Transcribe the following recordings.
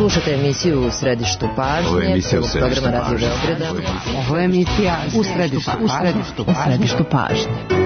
Slušate emisiju U središtu pažnje, programa Radio Beograda. Ovo je emisija U središtu pažnje.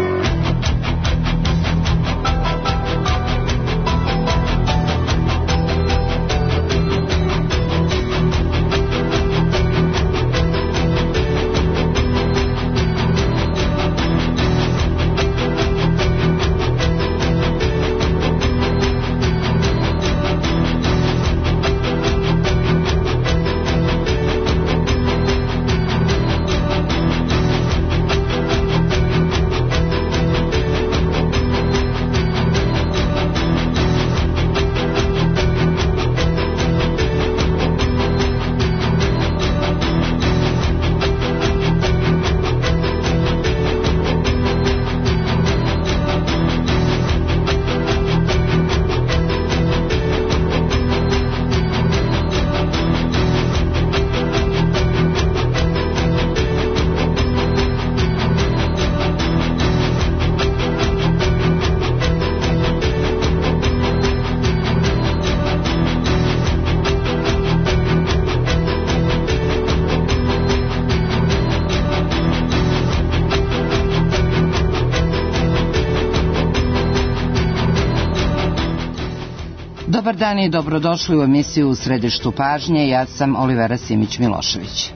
Dobar dan i dobrodošli u emisiju U središtu pažnje. Ja sam Olivera Simić-Milošević.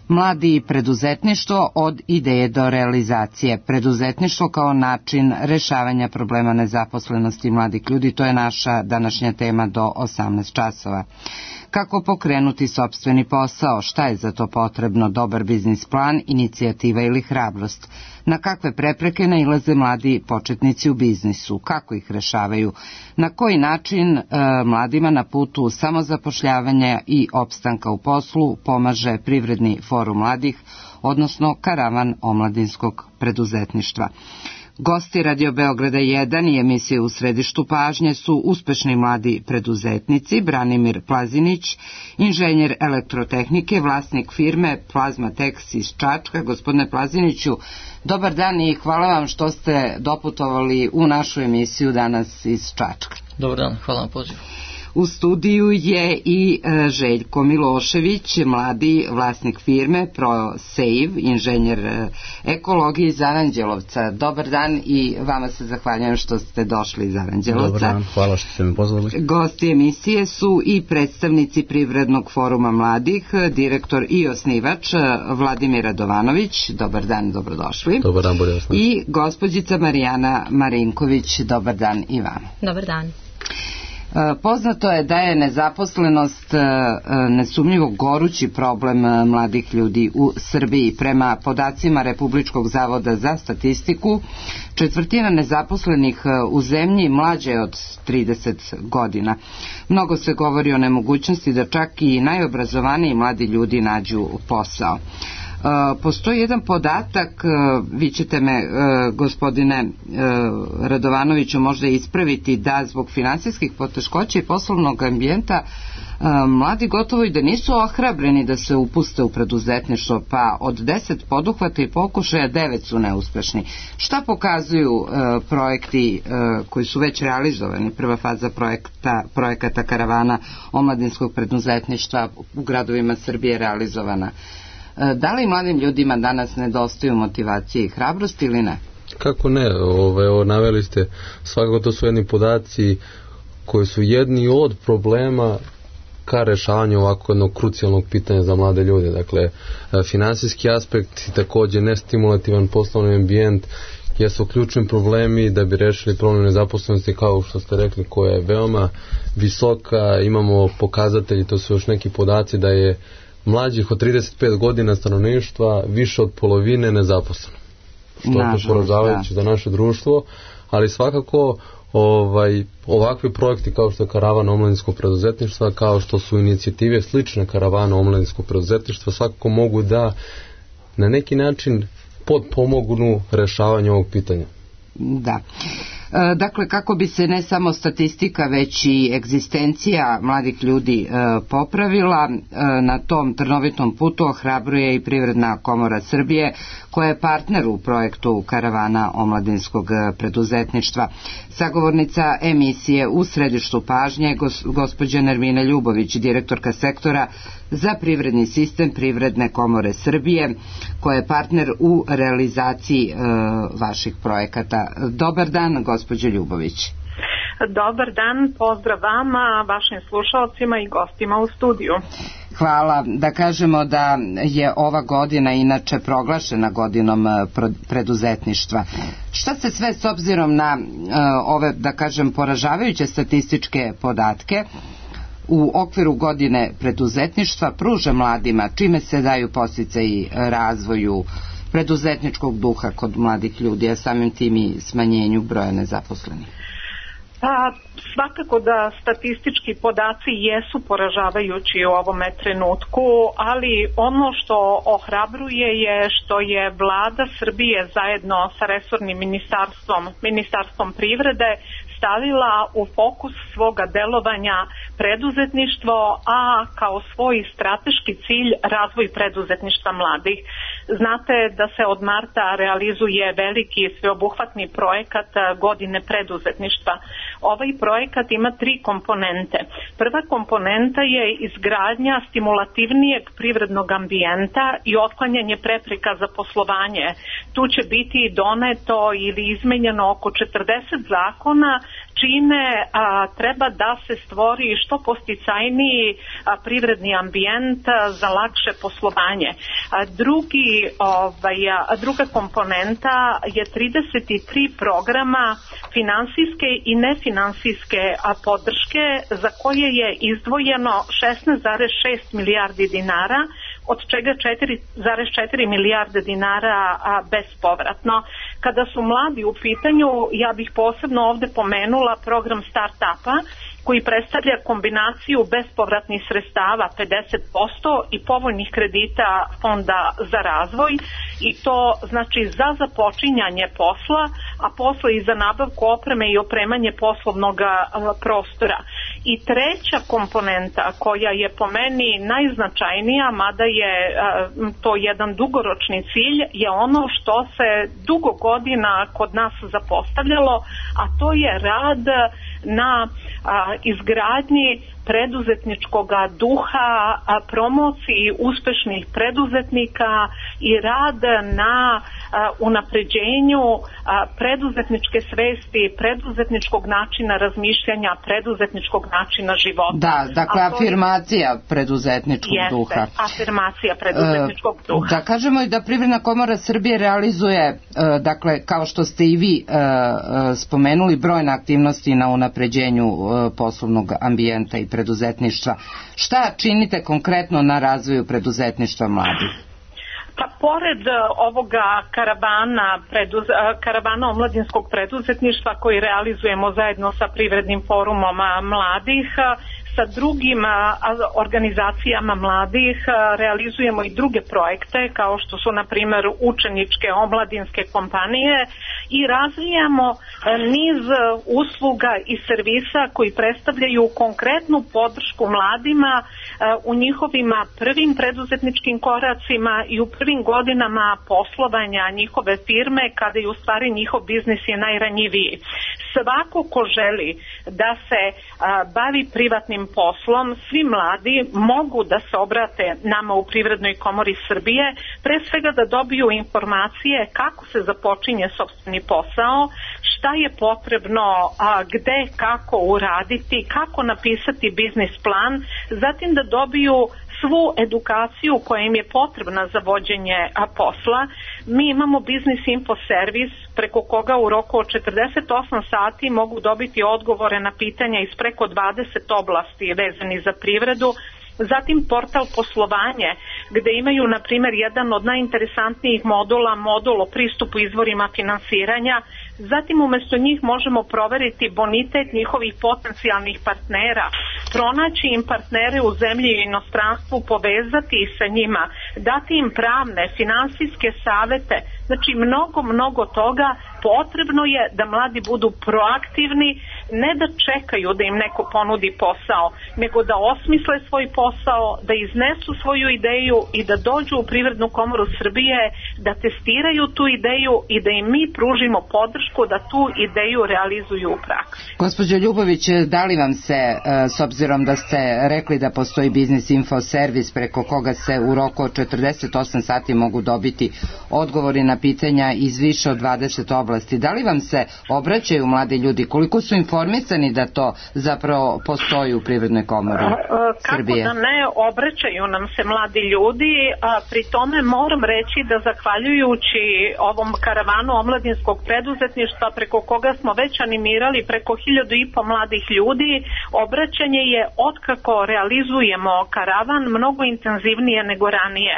Mladi i preduzetništvo od ideje do realizacije. Preduzetništvo kao način rešavanja problema nezaposlenosti mladih ljudi, to je naša današnja tema do 18 časova. Kako pokrenuti sopstveni posao, šta je za to potrebno, dobar biznis plan, inicijativa ili hrabrost, na kakve prepreke nailaze mladi početnici u biznisu, kako ih rešavaju, na koji način mladima na putu samozapošljavanja i opstanka u poslu pomaže Privredni forum mladih, odnosno Karavan omladinskog preduzetništva. Gosti Radio Beograda 1 i emisije U središtu pažnje su uspešni mladi preduzetnici, Branimir Plazinić, inženjer elektrotehnike, vlasnik firme Plazmatex iz Čačka. Gospodine Plaziniću, dobar dan i hvala vam što ste doputovali u našu emisiju danas iz Čačka. Dobar dan, hvala na pozivu. U studiju je i Željko Milošević, mladi vlasnik firme ProSave, inženjer ekologije iz Aranđelovca. Dobar dan i vama se zahvaljujem što ste došli iz Aranđelovca. Dobar dan, hvala što ste me pozvali. Gosti emisije su i predstavnici Privrednog foruma mladih, direktor i osnivač Vladimir Radovanović. Dobar dan, dobrodošli. Dobar dan, bolje vas našli. I gospođica Marijana Marinković. Dobar dan i vama. Dobar dan. Poznato je da je nezaposlenost nesumnjivo gorući problem mladih ljudi u Srbiji. Prema podacima Republičkog zavoda za statistiku, 1/4 nezaposlenih u zemlji mlađe je od 30 godina. Mnogo se govori o nemogućnosti da čak i najobrazovaniji mladi ljudi nađu posao. Postoji jedan podatak, vi ćete me, gospodine Radovanoviću, možda ispraviti, da zbog finansijskih poteškoća i poslovnog ambijenta mladi gotovo i da nisu ohrabreni da se upuste u preduzetništvo, pa od 10 poduhvata i pokušaja 9 su neuspešni. Šta pokazuju projekti koji su već realizovani? Prva faza projekata Karavana omladinskog preduzetništva u gradovima Srbije realizovana. Da li mladim ljudima danas nedostaju motivacije i hrabrosti ili ne? Kako ne? Evo, naveli ste, svakako to su jedni podaci koji su jedni od problema ka rešavanju ovako jednog krucijalnog pitanja za mlade ljude. Dakle, finansijski aspekt i također nestimulativan poslovni ambijent jesu ključni problemi da bi rešili problem nezaposlenosti, kao što ste rekli, koja je veoma visoka. Imamo pokazatelji, to su još neki podaci, da je mlađih od 35 godina stanovništva više od polovine nezaposleno. Što je poražavajuće za naše društvo, ali svakako ovakvi projekti kao što je Karavan omladinskog preduzetništva, kao što su inicijative slične Karavana omladinskog preduzetništva, svakako mogu da na neki način potpomognu rešavanju ovog pitanja. Da. Dakle, kako bi se ne samo statistika, već i egzistencija mladih ljudi popravila, na tom trnovitom putu ohrabruje i Privredna komora Srbije, koja je partner u projektu Karavana omladinskog preduzetništva. Sagovornica emisije U središtu pažnje gospođa Nermina Ljubović, direktorka sektora za privredni sistem Privredne komore Srbije, koja je partner u realizaciji vaših projekata. Dobar dan, gospođo Ljubović. Dobar dan, pozdrav vama, vašim slušalcima i gostima u studiju. Hvala. Da kažemo da je ova godina inače proglašena godinom preduzetništva. Šta se sve s obzirom na ove, da kažem, poražavajuće statističke podatke u okviru godine preduzetništva pruža mladima, čime se daju podsticaji razvoju preduzetničkog duha kod mladih ljudi, a samim tim i smanjenju broja nezaposlenih? Pa svakako da statistički podaci jesu poražavajući u ovome trenutku, ali ono što ohrabruje je što je Vlada Srbije zajedno sa resornim ministarstvom privrede stavila u fokus svoga delovanja preduzetništvo, a kao svoj strateški cilj razvoj preduzetništva mladih. Znate da se od marta realizuje veliki sveobuhvatni projekat godine preduzetništva. Ovaj projekat ima 3 komponente. Prva komponenta je izgradnja stimulativnijeg privrednog ambijenta i otklanjanje prepreka za poslovanje. Tu će biti doneto ili izmenjeno oko 40 zakona, čime treba da se stvori što posticajniji privredni ambijent za lakše poslovanje. Druga komponenta je 33 programa finansijske i nefinansijske podrške za koje je izdvojeno 16,6 milijardi dinara, od čega 4,4 milijarde dinara bespovratno. Kada su mladi u pitanju, ja bih posebno ovde pomenula program Start-upa, koji predstavlja kombinaciju bespovratnih sredstava 50% i povoljnih kredita Fonda za razvoj, i to znači za započinjanje posla, a posle i za nabavku opreme i opremanje poslovnog prostora. I treća komponenta koja je po meni najznačajnija, mada je to jedan dugoročni cilj, je ono što se dugo godina kod nas zapostavljalo, a to je rad na izgradnji preduzetničkog duha, promociji uspešnih preduzetnika i rad na unapređenju preduzetničke svesti, preduzetničkog načina razmišljanja, preduzetničkog načina života. Da, dakle afirmacija preduzetničkog duha. Jeste, afirmacija preduzetničkog duha. Da kažemo i da Privredna komora Srbije realizuje, dakle, kao što ste i vi spomenuli, brojne aktivnosti na unapređenju poslovnog ambijenta i preduzetništva. Šta činite konkretno na razvoju preduzetništva mladih? Pa pored ovoga karavana omladinskog preduzetništva koji realizujemo zajedno sa Privrednim forumom mladih, sa drugim organizacijama mladih realizujemo i druge projekte kao što su na primjer učeničke omladinske kompanije i razvijamo niz usluga i servisa koji predstavljaju konkretnu podršku mladima u njihovim prvim preduzetničkim koracima i u prvim godinama poslovanja njihove firme, kada je u stvari njihov biznis je najranjiviji. Svako ko želi da se bavi privatnim poslom, svi mladi mogu da se obrate nama u Privrednoj komori Srbije, pre svega da dobiju informacije kako se započinje sopstveni posao, šta je potrebno, gde, kako uraditi, kako napisati biznis plan, zatim da dobiju svu edukaciju koja im je potrebna za vođenje posla. Mi imamo biznis info servis preko koga u roku od 48 sati mogu dobiti odgovore na pitanja iz preko 20 oblasti vezani za privredu. Zatim portal poslovanje, gde imaju na primjer jedan od najinteresantnijih modula, modul o pristupu izvorima finansiranja, Zatim umjesto njih možemo proveriti bonitet njihovih potencijalnih partnera, pronaći im partnere u zemlji i inostranstvu, povezati ih sa njima, dati im pravne, finansijske savete. Znači mnogo toga. Potrebno je da mladi budu proaktivni, ne da čekaju da im neko ponudi posao, nego da osmisle svoj posao, da iznesu svoju ideju i da dođu u Privrednu komoru Srbije, da testiraju tu ideju i da im mi pružimo podršku da tu ideju realizuju u praksi. Gospođo Ljubović, da li vam se, s obzirom da ste rekli da postoji biznis info servis preko koga se u roku od 48 sati mogu dobiti odgovori na pitanja iz više od 20 oblasti, da li vam se obraćaju mladi ljudi? Koliko su informisani da to zapravo postoji u Privrednoj komori Srbije? Kako da ne, obraćaju nam se mladi ljudi, a pri tome moram reći da zahvaljujući ovom karavanu omladinskog preduzetništva preko koga smo već animirali preko 1500 mladih ljudi, obraćanje je otkako realizujemo karavan mnogo intenzivnije nego ranije.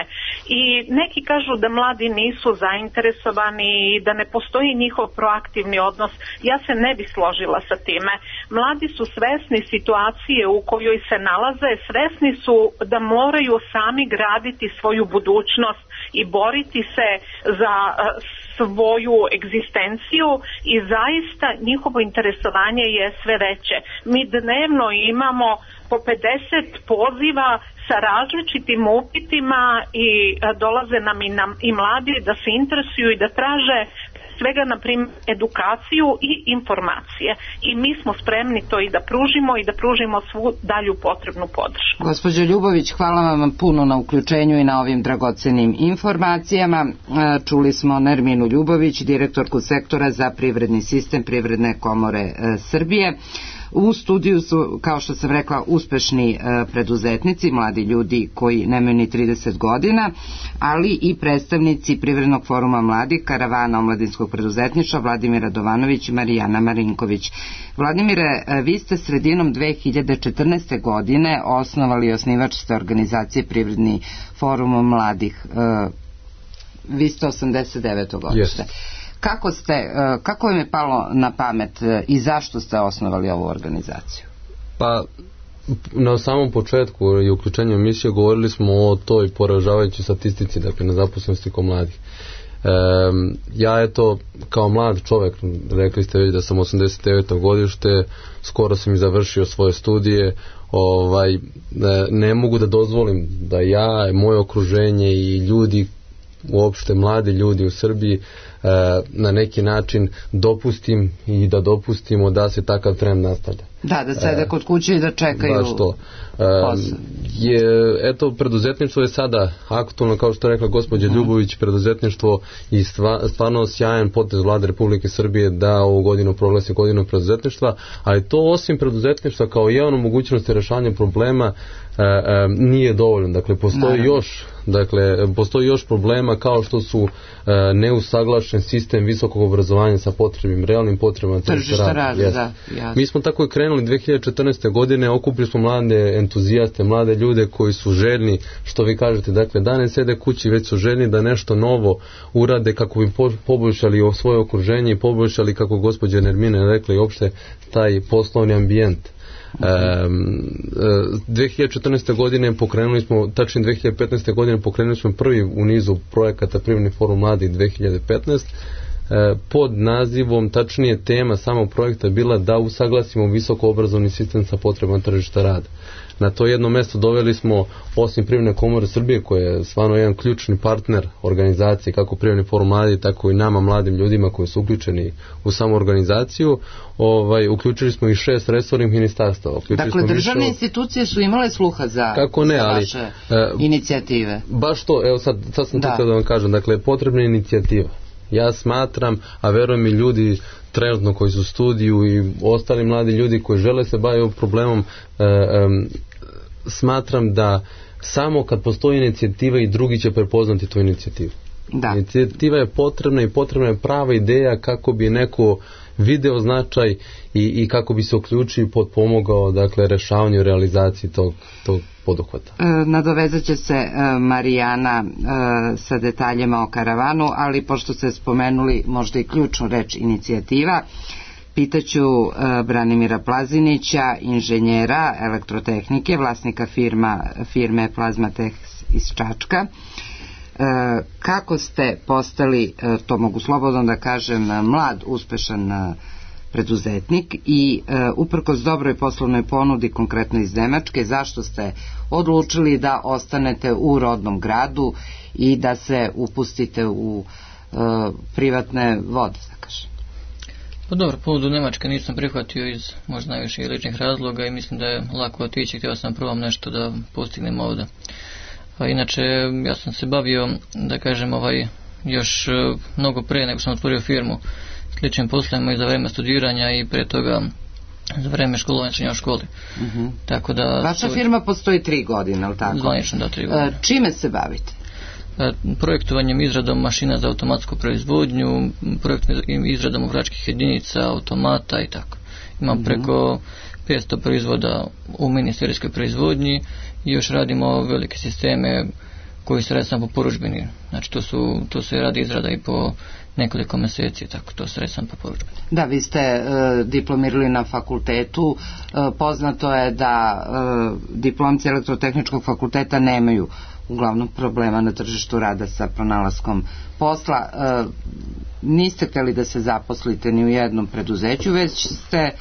I neki kažu da mladi nisu zainteresovani i da ne postoji njihov proaktivni odnos. Ja se ne bi složila sa time. Mladi su svesni situacije u kojoj se nalaze, svesni su da moraju sami graditi svoju budućnost i boriti se za svoju egzistenciju i zaista njihovo interesovanje je sve veće. Mi dnevno imamo po 50 poziva sa različitim upitima i dolaze nam i mladi da se interesuju i da traže svega, na primjer, edukaciju i informacije. I mi smo spremni to i da pružimo svu dalju potrebnu podršku. Gospođo Ljubović, hvala vam puno na uključenju i na ovim dragocenim informacijama. Čuli smo Nerminu Ljubović, direktorku sektora za privredni sistem Privredne komore Srbije. U studiju su, kao što sam rekla, uspešni preduzetnici, mladi ljudi koji nemaju ni 30 godina, ali i predstavnici Privrednog foruma mladih, karavana omladinskog preduzetništva Vladimir Radovanović i Marijana Marinković. Vladimire, vi ste sredinom 2014. godine osnovali osnivač ste organizacije Privredni forum mladih. Vi ste 89. godište. Kako vam je palo na pamet i zašto ste osnovali ovu organizaciju? Pa, na samom početku i uključenju emisije govorili smo o toj poražavajućoj statistici, dakle, nezaposlenosti kod mladih. Ja eto, kao mlad čovjek, rekli ste već da sam 89. godište, skoro sam i završio svoje studije, ne mogu da dozvolim da ja, moje okruženje i ljudi, uopšte mladi ljudi u Srbiji, na neki način dopustimo da se takav trend nastavlja. Da sede kod kuće i da čekaju. Baš to. Eto, preduzetništvo je sada aktualno, kao što je rekla gospođa Ljubović, preduzetništvo i stvarno sjajan potez Vlade Republike Srbije da ovu godinu proglasi godinom preduzetništva, ali to osim preduzetništva kao jedan mogućnosti rešavanja problema nije dovoljno. Dakle, postoji još problema kao što su neusaglašen sistem visokog obrazovanja sa potrebnim, realnim potrebama tržišta rada. Mi smo tako i krenuli 2014. godine, okupili smo mlade entuzijaste, mlade ljude koji su željni, što vi kažete, dakle, da ne sede kući, već su željni da nešto novo urade kako bi poboljšali svoje okruženje i poboljšali, kako gospođa Nermina rekla, i uopšte taj poslovni ambijent. 2014. godine pokrenuli smo, tačnije 2015. godine pokrenuli smo prvi u nizu projekata Privredni forum mladih 2015. Pod nazivom, tačnije tema samog projekta bila da usaglasimo visoko obrazovni sistem sa potrebama tržišta rada. Na to jedno mesto doveli smo, osim Privredne komore Srbije, koja je stvarno jedan ključni partner organizacije, kako Privredni forum mladih, tako i nama, mladim ljudima koji su uključeni u samu organizaciju. Uključili smo i 6 resornih ministarstava. Dakle, državne institucije su imale sluha za vaše inicijative. Baš to, evo sad sam to da vam kažem, dakle, potrebna je inicijativa. Ja smatram, a verujem i ljudi trenutno koji su u studiju i ostali mladi ljudi koji žele se baviti ovim problemom, smatram da samo kad postoji inicijativa i drugi će prepoznati tu inicijativu. Inicijativa je potrebna i potrebna je prava ideja kako bi neko video značaj i kako bi se uključio i potpomogao, dakle, rešavanju i realizaciji tog poduhvata. Nadovezat će se Marijana sa detaljima o karavanu, ali pošto ste spomenuli možda i ključnu reč inicijativa, pitaću Branimira Plazinića, inženjera elektrotehnike, vlasnika firme Plazmatex iz Čačka. Kako ste postali, to mogu slobodno da kažem, mlad, uspešan preduzetnik i uprkos dobroj poslovnoj ponudi, konkretno iz Nemačke, zašto ste odlučili da ostanete u rodnom gradu i da se upustite u privatne vode, da kažem? Pa dobro, ponudu Nemačke nisam prihvatio iz možda najviše ličnih razloga i mislim da je lako otići, htio sam prvom nešto da postignem ovdje. A inače, ja sam se bavio, da kažem, još mnogo pre nego sam otvorio firmu sličnim poslovima i za vreme studiranja i pre toga za vreme školovanja u školi. Tako da, vaša firma postoji 3 godine, ali tako? Zvanično, da, 3 godine. Čime se bavite? Projektovanjem, izradom mašina za automatsku proizvodnju, izradom uvračkih jedinica, automata i tako. Imam preko 500 proizvoda u mini-serijskoj proizvodnji i još radimo velike sisteme koji se radi samo po porudžbini. Znači to se radi izrada i po nekoliko meseci, tako to se radi samo po porudžbini. Da, vi ste diplomirali na fakultetu. Poznato je da diplomci elektrotehničkog fakulteta nemaju uglavnom problema na tržištu rada sa pronalaskom posla. Niste htjeli da se zaposlite ni u jednom preduzeću, već ste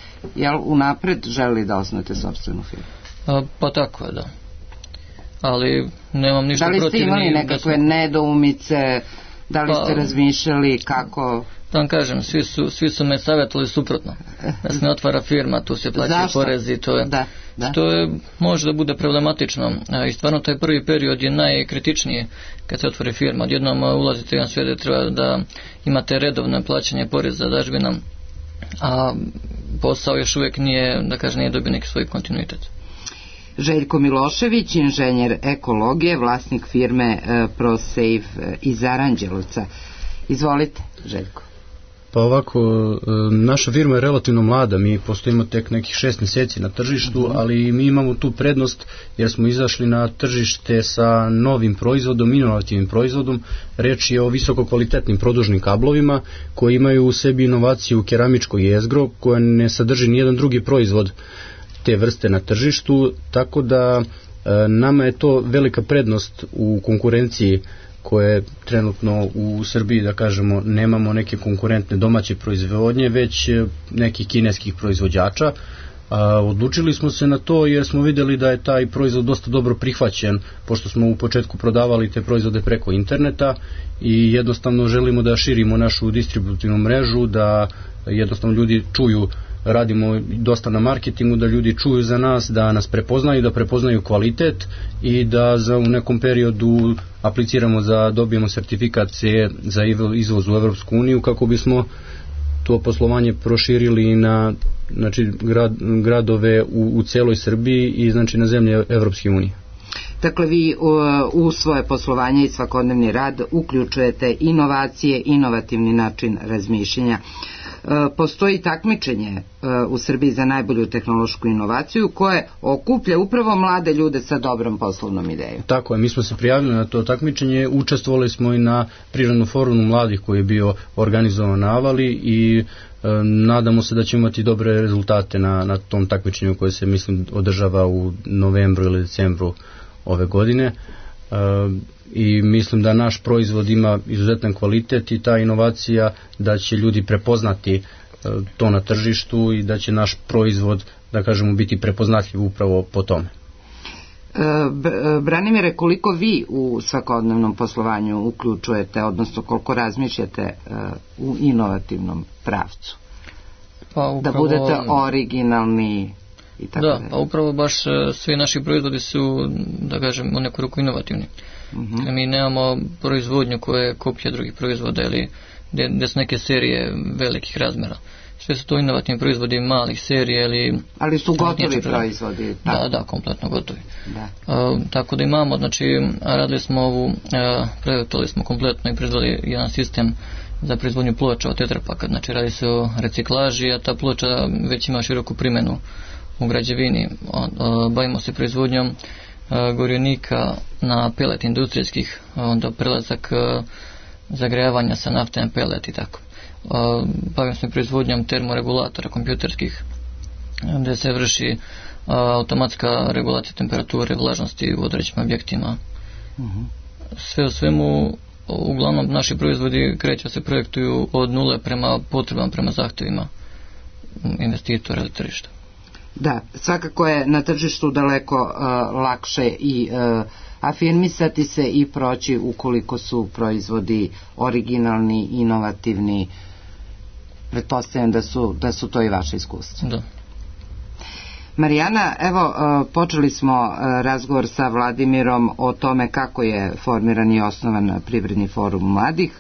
unapred želeli da osnujete sopstvenu firmu? Pa tako je, da. Ali nemam ništa protiv. Da li ste imali nekakve nedoumice, da li ste razmišljali kako? Da vam kažem, svi su me savjetovali suprotno. Da se ne otvara firma, tu se plaćaju porezi, to je, što je, može da bude problematično. I stvarno taj prvi period je najkritičniji kad se otvori firma. Odjednom ulazite u jedan svijet gdje treba da imate redovno plaćanje poreza, dažbina, a posao još uvijek nije, da kažem, nije dobio neki svoj kontinuitet. Željko Milošević, inženjer ekologije, vlasnik firme ProSafe iz Aranđelovca. Izvolite, Željko. Pa ovako, naša firma je relativno mlada, mi postojimo tek nekih 6 mjeseci na tržištu, ali mi imamo tu prednost jer smo izašli na tržište sa novim proizvodom, inovativnim proizvodom. Reč je o visoko kvalitetnim produžnim kablovima koji imaju u sebi inovaciju keramičko jezgro koja ne sadrži nijedan drugi proizvod te vrste na tržištu, tako da nama je to velika prednost u konkurenciji koje trenutno u Srbiji, da kažemo, nemamo neke konkurentne domaće proizvodnje, već nekih kineskih proizvođača. Odlučili smo se na to jer smo vidjeli da je taj proizvod dosta dobro prihvaćen, pošto smo u početku prodavali te proizvode preko interneta i jednostavno želimo da širimo našu distributivnu mrežu, da jednostavno ljudi čuju, radimo dosta na marketingu, da ljudi čuju za nas, da nas prepoznaju, da prepoznaju kvalitet i da u nekom periodu apliciramo dobijemo sertifikat CE za izvoz u Evropsku uniju kako bismo to poslovanje proširili na gradove u celoj Srbiji i znači na zemlje Evropske unije. Dakle, vi u svoje poslovanje i svakodnevni rad uključujete inovacije, inovativni način razmišljanja. Postoji takmičenje u Srbiji za najbolju tehnološku inovaciju koje okuplja upravo mlade ljude sa dobrom poslovnom idejom. Tako je, mi smo se prijavili na to takmičenje, učestvovali smo i na prirodnom forumu mladih koji je bio organizovan na Avali i nadamo se da ćemo imati dobre rezultate na tom takmičenju koje se, mislim, održava u novembru ili decembru ove godine. I mislim da naš proizvod ima izuzetan kvalitet i ta inovacija da će ljudi prepoznati to na tržištu i da će naš proizvod, da kažemo, biti prepoznatljiv upravo po tome. Branimire, koliko vi u svakodnevnom poslovanju uključujete, odnosno koliko razmišljate u inovativnom pravcu? Pa upravo, da budete originalni i tako da. Pa upravo baš svi naši proizvodi su, da kažem, u neku ruku inovativni. Mi nemamo proizvodnju koja je kopija drugih proizvoda ili gdje su neke serije velikih razmjera. Sve su to inovativni proizvodi malih serija ili... Ali su gotovi proizvodi. Da, kompletno gotovi. Tako da imamo, znači, radili smo projektovali smo kompletno i proizveli jedan sistem za proizvodnju ploča od tetrapaka. Znači, radi se o reciklaži, a ta ploča već ima široku primjenu u građevini. Bavimo se proizvodnjom gorionika na pelet industrijskih, onda prelazak zagrejavanja sa nafte na pelet i tako. Bavimo se proizvodnjom termoregulatora kompjuterskih, gdje se vrši automatska regulacija temperature, vlažnosti u određenim objektima. Sve u svemu, uglavnom naši proizvodi se projektuju od nule prema potrebama, prema zahtjevima investitora ili tržišta. Da, svakako je na tržištu daleko lakše i afirmisati se i proći ukoliko su proizvodi originalni, inovativni. Pretpostavljam da su to i vaše iskustva. Da. Marijana, evo, počeli smo razgovor sa Vladimirom o tome kako je formiran i osnovan Privredni forum mladih.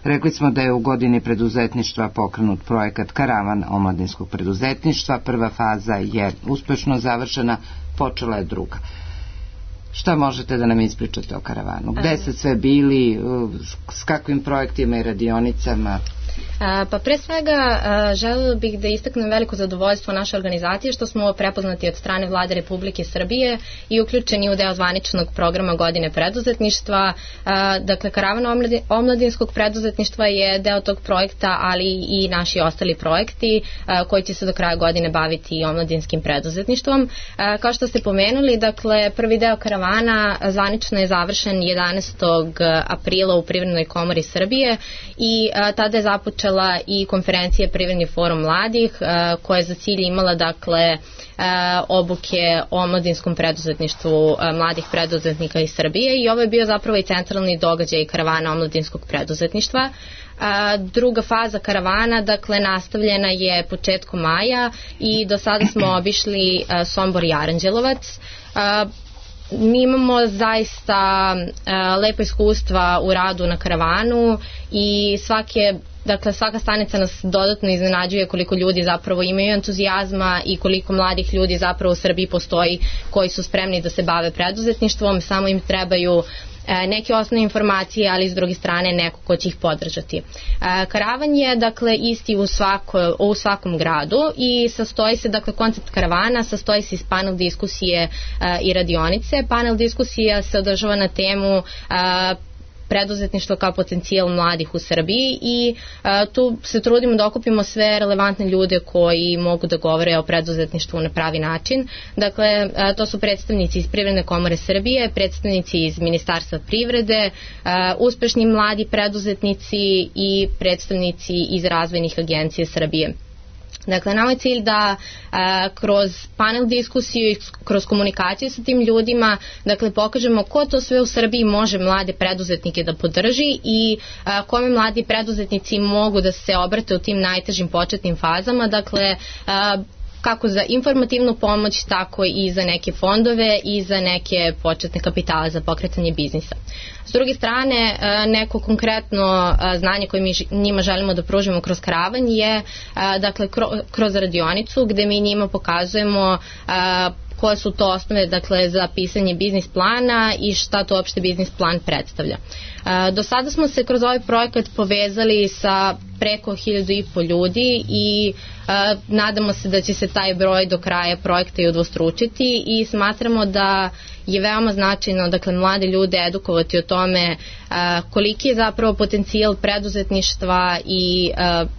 Rekli smo da je u godini preduzetništva pokrenut projekat Karavan omladinskog preduzetništva. Prva faza je uspešno završena, počela je druga. Šta možete da nam ispričate o karavanu? Gde ste sve bili, s kakvim projektima i radionicama? Pa pre svega želela bih da istaknem veliko zadovoljstvo naše organizacije što smo prepoznati od strane Vlade Republike Srbije i uključeni u deo zvaničnog programa godine preduzetništva. Dakle, Karavan omladinskog preduzetništva je deo tog projekta, ali i naši ostali projekti koji će se do kraja godine baviti i omladinskim preduzetništvom. Kao što ste pomenuli, dakle, prvi deo karavana zvanično je završen 11. aprila u Privrednoj komori Srbije i tada je započela i konferencija Privredni forum mladih koja je za cilj imala, dakle, obuke o omladinskom preduzetništvu mladih preduzetnika iz Srbije i ovo je bio zapravo i centralni događaj karavana omladinskog preduzetništva. Druga faza karavana, dakle, nastavljena je početkom maja i do sada smo obišli Sombor i Aranđelovac. Mi imamo zaista lepa iskustva u radu na karavanu i svaka stanica nas dodatno iznenađuje koliko ljudi zapravo imaju entuzijazma i koliko mladih ljudi zapravo u Srbiji postoji koji su spremni da se bave preduzetništvom, samo im trebaju neke osnovne informacije, ali s druge strane neko ko će ih podržati. Karavan je, dakle, isti u svakom gradu i sastoji se, dakle, koncept karavana sastoji se iz panel diskusije i radionice. Panel diskusija se održava na temu preduzetništvo kao potencijal mladih u Srbiji i tu se trudimo da okupimo sve relevantne ljude koji mogu da govore o preduzetništvu na pravi način. Dakle, to su predstavnici iz Privredne komore Srbije, predstavnici iz Ministarstva privrede, uspešni mladi preduzetnici i predstavnici iz razvojnih agencija Srbije. Dakle, nama je cilj da kroz panel diskusiju i kroz komunikaciju sa tim ljudima, dakle, pokažemo ko to sve u Srbiji može mlade preduzetnike da podrži i kome mladi preduzetnici mogu da se obrate u tim najtežim početnim fazama, dakle, kako za informativnu pomoć, tako i za neke fondove i za neke početne kapitale za pokretanje biznisa. S druge strane, neko konkretno znanje koje mi njima želimo da pružimo kroz karavan je, dakle, kroz radionicu gde mi njima pokazujemo koje su to osnove, dakle, za pisanje biznis plana i šta to uopšte biznis plan predstavlja. Do sada smo se kroz ovaj projekat povezali sa preko 1500 ljudi i nadamo se da će se taj broj do kraja projekta i udvostručiti i smatramo da je veoma značajno, dakle, mlade ljude edukovati o tome koliki je zapravo potencijal preduzetništva i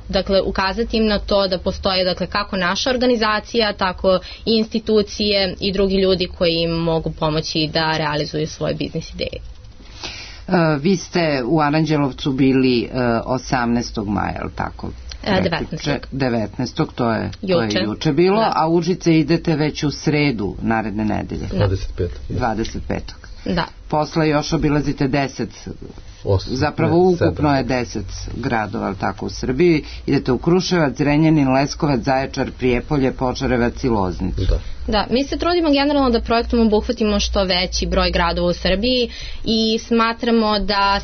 dakle, ukazati im na to da postoje, dakle, kako naša organizacija, tako i institucije i drugi ljudi koji im mogu pomoći da realizuju svoje biznis ideje. Vi ste u Aranđelovcu bili 18. maja, je li tako? 19. To je juče bilo, da. A u Užice idete već u sredu naredne nedelje. 25. Da. posle još obilazite 10, zapravo ukupno je 10 gradova, ali tako, u Srbiji. Idete u Kruševac, Zrenjanin, Leskovac, Zaječar, Prijepolje, Požarevac i Loznicu. Da, mi se trudimo generalno da projektom obuhvatimo što veći broj gradova u Srbiji i smatramo da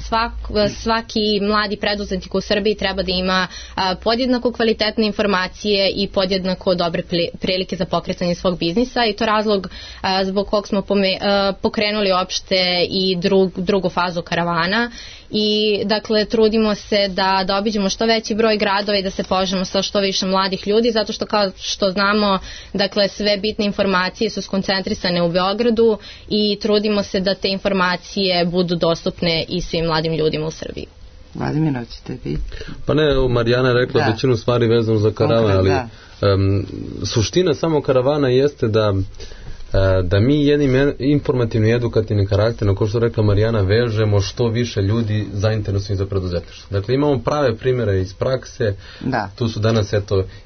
svaki mladi preduzetnik u Srbiji treba da ima podjednako kvalitetne informacije i podjednako dobre prilike za pokretanje svog biznisa, i to razlog zbog kog smo pokrenuli opšte i drugu fazu karavana. I dakle trudimo se da obiđemo što veći broj gradova i da se povežemo sa što više mladih ljudi, zato što kao što znamo, dakle sve bitne informacije su skoncentrisane u Beogradu i trudimo se da te informacije budu dostupne i svim mladim ljudima u Srbiji. Vladimir, hoćete vi? Pa ne, Marijana je rekla većinu stvari vezano za karavan, ali suština samo karavana jeste da mi jednim informativni i edukativni karakter, na ko što rekla Marijana, vežemo što više ljudi zainteresovanih za preduzetništvo. Dakle, imamo prave primjere iz prakse, tu su danas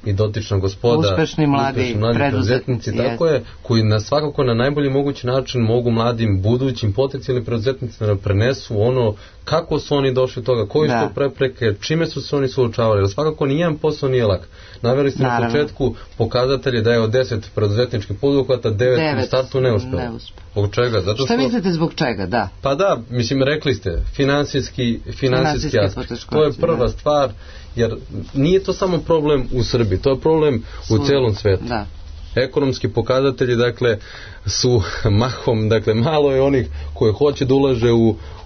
i dotična gospoda, uspešni mladi preduzetnici, tako je, koji svakako na najbolji mogući način mogu mladim budućim potencijalnim preduzetnicima da prenesu ono kako su oni došli do toga, koji su to prepreke, čime su se oni suočavali, jer svakako nijedan posao nije lak. Naveli ste na početku pokazatelje da je od 10 preduzetničkih poduhvata 9 u startu neuspelo. Zbog čega? Šta mislite zbog čega? Da. Pa da, mislim, rekli ste, finansijski aspekt. To je prva stvar, jer nije to samo problem u Srbiji, to je problem u celom svetu. Da. Ekonomski pokazatelji, dakle, su mahom, dakle, malo je onih koji hoće da ulaže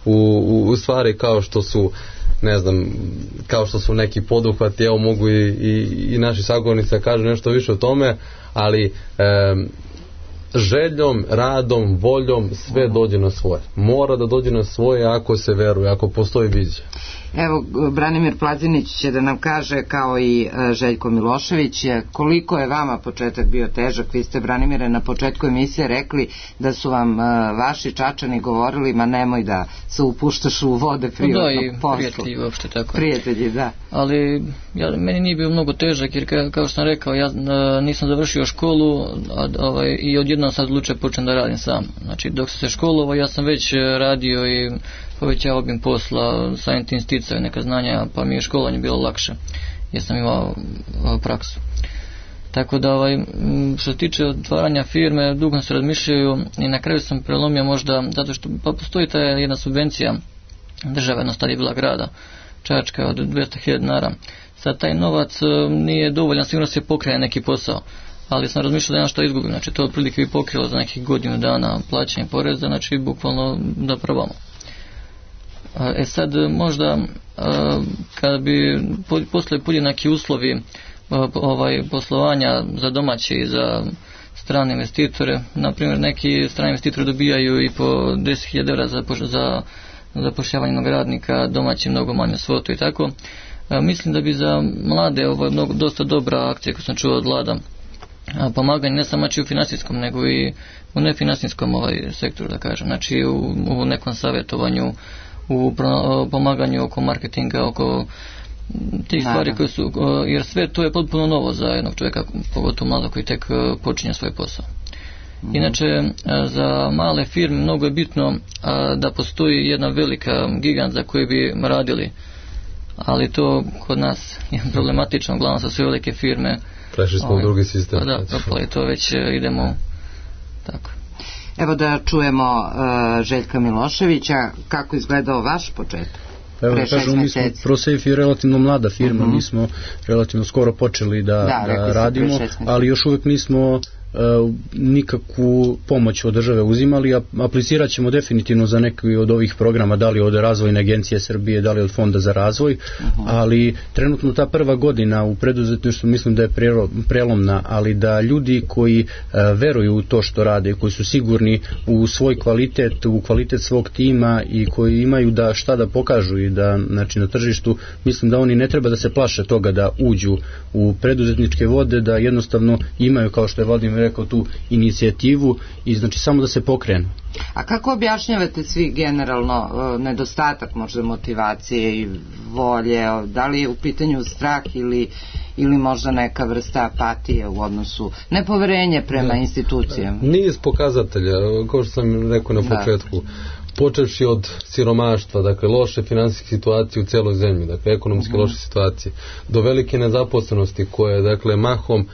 u stvari kao što su, ne znam, kao što su neki poduhvati, evo mogu i naši sagovornici da kažu nešto više o tome, ali željom, radom, voljom sve dođe na svoje. Mora da dođe na svoje ako se veruje, ako postoji vizija. Evo, Branimir Plazinić će da nam kaže, kao i Željko Milošević, koliko je vama početak bio težak. Vi ste, Branimire, na početku emisije rekli da su vam vaši Čačani govorili, ma nemoj da se upuštaš u vode privatnog posla. Da, i prijatelji uopšte tako. Prijatelji, da. Ali meni nije bio mnogo težak, jer kao što sam rekao, ja nisam završio školu i odjednom sad odlučio počnem da radim sam. Znači, dok sam se školovao, ja sam već radio i povećao obim posla, samim tim sticao neka znanja, pa mi je školovanje bilo lakše, jer sam imao praksu. Tako da, što se tiče otvaranja firme, dugo se razmišljaju i na kraju sam prelomio možda, zato što postoji ta jedna subvencija države, na stari bila grada, Čačka od 200.000 dinara. Sad taj novac nije dovoljan, sigurno se pokrene neki posao, ali sam razmišljao da ja što izgubim, znači to otprilike bi pokrilo za nekih godinu dana plaćanje poreza, znači bukvalno da probamo. Sad možda kada bi posle podjednaki uslovi poslovanja za domaće i za strane investitore, na primjer neki strani investitori dobijaju i po 10.000 evra za zapošljavanje jednog radnika, domaći mnogo manju svotu i tako. Mislim da bi za mlade ovo je dosta dobra akcija koju sam čuo od Vlada, pomaganje ne samo u finansijskom nego i u nefinansijskom sektoru, da kažem, znači u nekom savjetovanju, u pomaganju oko marketinga, oko tih stvari koje su, jer sve to je potpuno novo za jednog čovjeka, pogotovo mladog koji tek počinje svoj posao. Inače, za male firme mnogo je bitno da postoji jedna velika gigant za koju bi radili, ali to kod nas je problematično, uglavnom sa sve velike firme. Prešli smo u drugi sistem. Pa da, propali to, već idemo tako. Evo da čujemo Željka Miloševića, kako izgledao vaš početak? Evo da kažemo, mi smo ProSafe je relativno mlada firma, mi smo relativno skoro počeli da radimo, ali još uvijek nismo nikakvu pomoć od države uzimali, aplicirat ćemo definitivno za neki od ovih programa, da li od Razvojne agencije Srbije, da li od Fonda za razvoj, ali trenutno ta prva godina u preduzetništvu mislim da je prelomna, ali da ljudi koji veruju u to što rade, koji su sigurni u svoj kvalitet, u kvalitet svog tima i koji imaju šta da pokažu i da, znači, na tržištu, mislim da oni ne treba da se plaše toga da uđu u preduzetničke vode, da jednostavno imaju, kao što je Vladimir rekao, tu inicijativu i znači samo da se pokrenu. A kako objašnjavate svi generalno nedostatak možda motivacije i volje, da li je u pitanju strah ili možda neka vrsta apatije u odnosu, nepoverenje prema institucijama? Niz pokazatelja, kao što sam rekao na početku. počevši od siromaštva, dakle loše finansijske situacije u celoj zemlji, dakle ekonomske loše situacije, do velike nezaposlenosti koje, dakle, mahom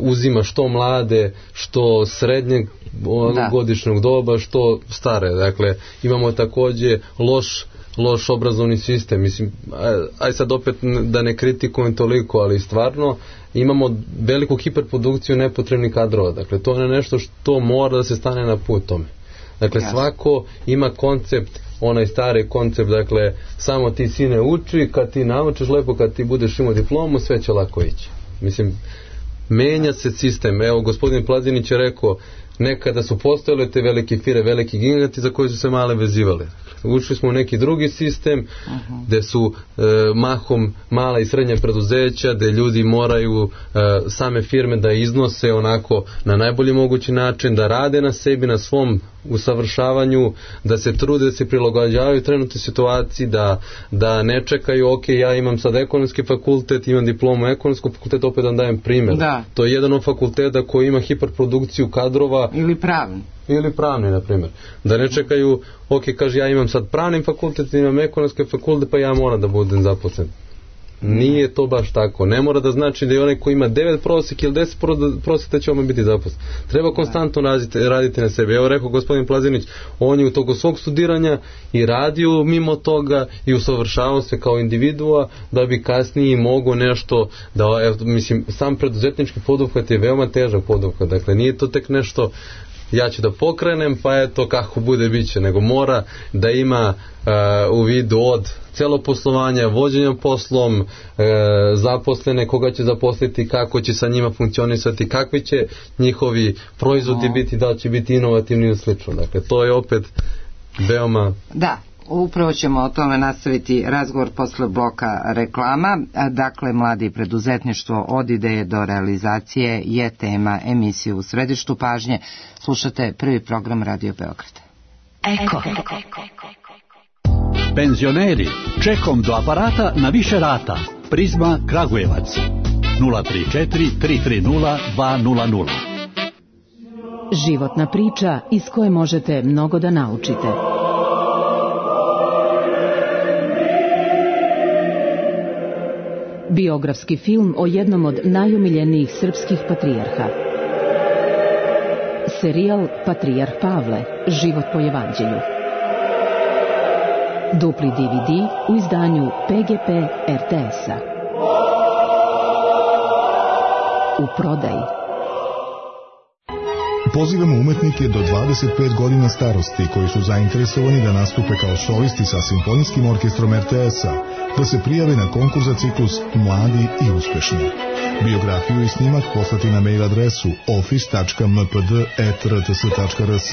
uzima što mlade, što srednjeg godišnjeg doba, što stare. Dakle, imamo takođe loš obrazovni sistem. Mislim, aj sad opet da ne kritikujem toliko, ali stvarno imamo veliku hiperprodukciju nepotrebnih kadrova. Dakle, to je nešto što mora da se stane na put tome. Dakle, svako ima koncept, onaj stari koncept, dakle, samo ti sine uči, kad ti naučiš lepo, kad ti budeš imao diplomu, sve će lako ići. Mislim, menja se sistem. Evo, gospodin Plazinić je rekao, nekada su postojale te velike firme, veliki giganti za koje su se male vezivale. Ušli smo u neki drugi sistem gde su mahom mala i srednja preduzeća, gde ljudi moraju same firme da iznose onako na najbolji mogući način, da rade na sebi, na svom usavršavanju, da se trude, da se prilagođavaju trenutnoj situaciji, da ne čekaju, ok, ja imam sad ekonomski fakultet, imam diplomu ekonomskog fakulteta, opet da dajem primjer. To je jedan od fakulteta koji ima hiperprodukciju kadrova. Ili pravni, na primjer. Da ne čekaju, ok, kaže, ja imam sad pravni fakultet, imam ekonomski fakultet, pa ja moram da budem zaposlen. Nije to baš tako. Ne mora da znači da je onaj koji ima 9 prosjek ili 10 prosjeka će biti zaposlen. Treba konstantno raditi na sebi. Evo rekao gospodin Plazinić, on je u toku svog studiranja i radio mimo toga i usavršavao se kao individua da bi kasnije mogao nešto da, mislim, sam preduzetnički poduhvat je veoma težak poduhvat. Dakle, nije to tek nešto ja ću da pokrenem, pa eto kako bude biće, nego mora da ima u vidu od celo poslovanja, vođenja poslom, zaposlene, koga će zaposliti, kako će sa njima funkcionisati, kakvi će njihovi proizvodi biti, da će biti inovativni ili slično. Dakle, to je opet veoma... Da. Upravo ćemo o tome nastaviti razgovor posle bloka reklama. Dakle, mladi preduzetništvo od ideje do realizacije je tema emisije U središtu pažnje. Slušate prvi program Radio Beograd. Eko. Penzioneri, čekom do aparata na više rata. Prizma Kragujevac 034 330 200. Životna priča iz koje možete mnogo da naučite. Biografski film o jednom od najomiljenijih srpskih patrijarha. Serijal Patrijarh Pavle, život po evanđelju. Dupli DVD u izdanju PGP RTS-a. U prodaji. Pozivamo umetnike do 25 godina starosti koji su zainteresovani da nastupe kao solisti sa Simfonijskim orkestrom RTS-a, da se prijave na konkurs za ciklus Mladi i uspešni. Biografiju i snimak poslati na mail adresu office.mpd@rts.rs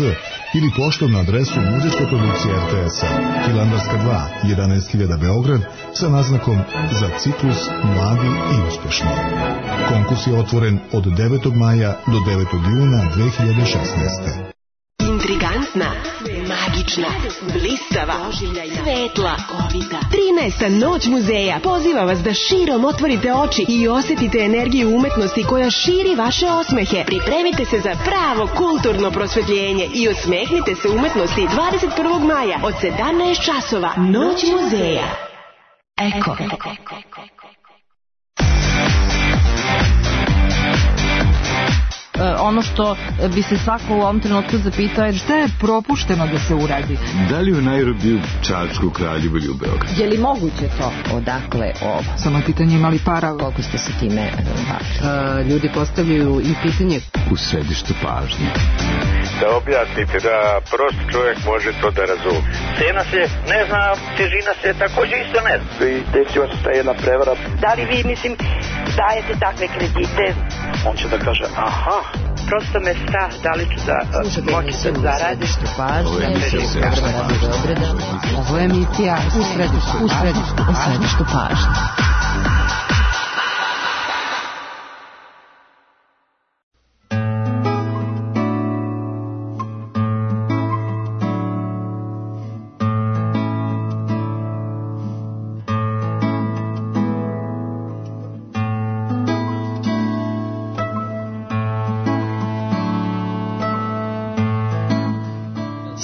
ili poštom na adresu Muzejska produkcija RTS-a, Hilandarska 2, 11.000 Beograd, sa naznakom za ciklus Mladi i uspešni. Konkurs je otvoren od 9. maja do 9. juna 2016. Intrigantna, magična, blistava, svetla, 13. noć muzeja poziva vas da širom otvorite oči i osjetite energiju umetnosti koja širi vaše osmehe. Pripremite se za pravo kulturno prosvetljenje i osmehnite se umetnosti 21. maja od 17 časova. Noć muzeja. Eko. Ono što bi se svako u ovom trenutku zapitao je šta je propušteno da se uradi. Da li u Nairobiju, Čačku, Kraljevu ili u Beogradu? Je li moguće to? Odakle ovo? Samo pitanje imali para. Koliko ste se time bavili? Ljudi postavljaju i pitanje. U središtu pažnje. Da objasnite da prost čovjek može to da razume. Cena se ne zna, težina se također isto ne zna. I desila se ta jedna prevara. Da li vi, dajete takve kredite? On će da kaže, aha. Prosto me strah, da li ću da moći da zaradim. Ovo je emisija U središtu pažnje.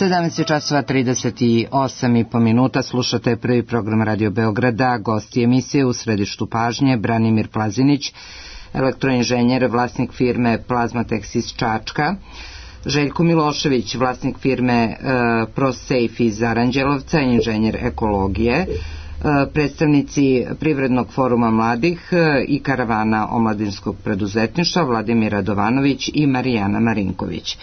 17:38 slušate prvi program Radio Beograda. Gosti emisije u središtu pažnje Branimir Plazinić, elektroinženjer, vlasnik firme Plazmatex iz Čačka, Željko Milošević, vlasnik firme ProSafe iz Aranđelovca, inženjer ekologije, predstavnici Privrednog foruma mladih i karavana omladinskog preduzetništva Vladimir Radovanović i Marijana Marinković.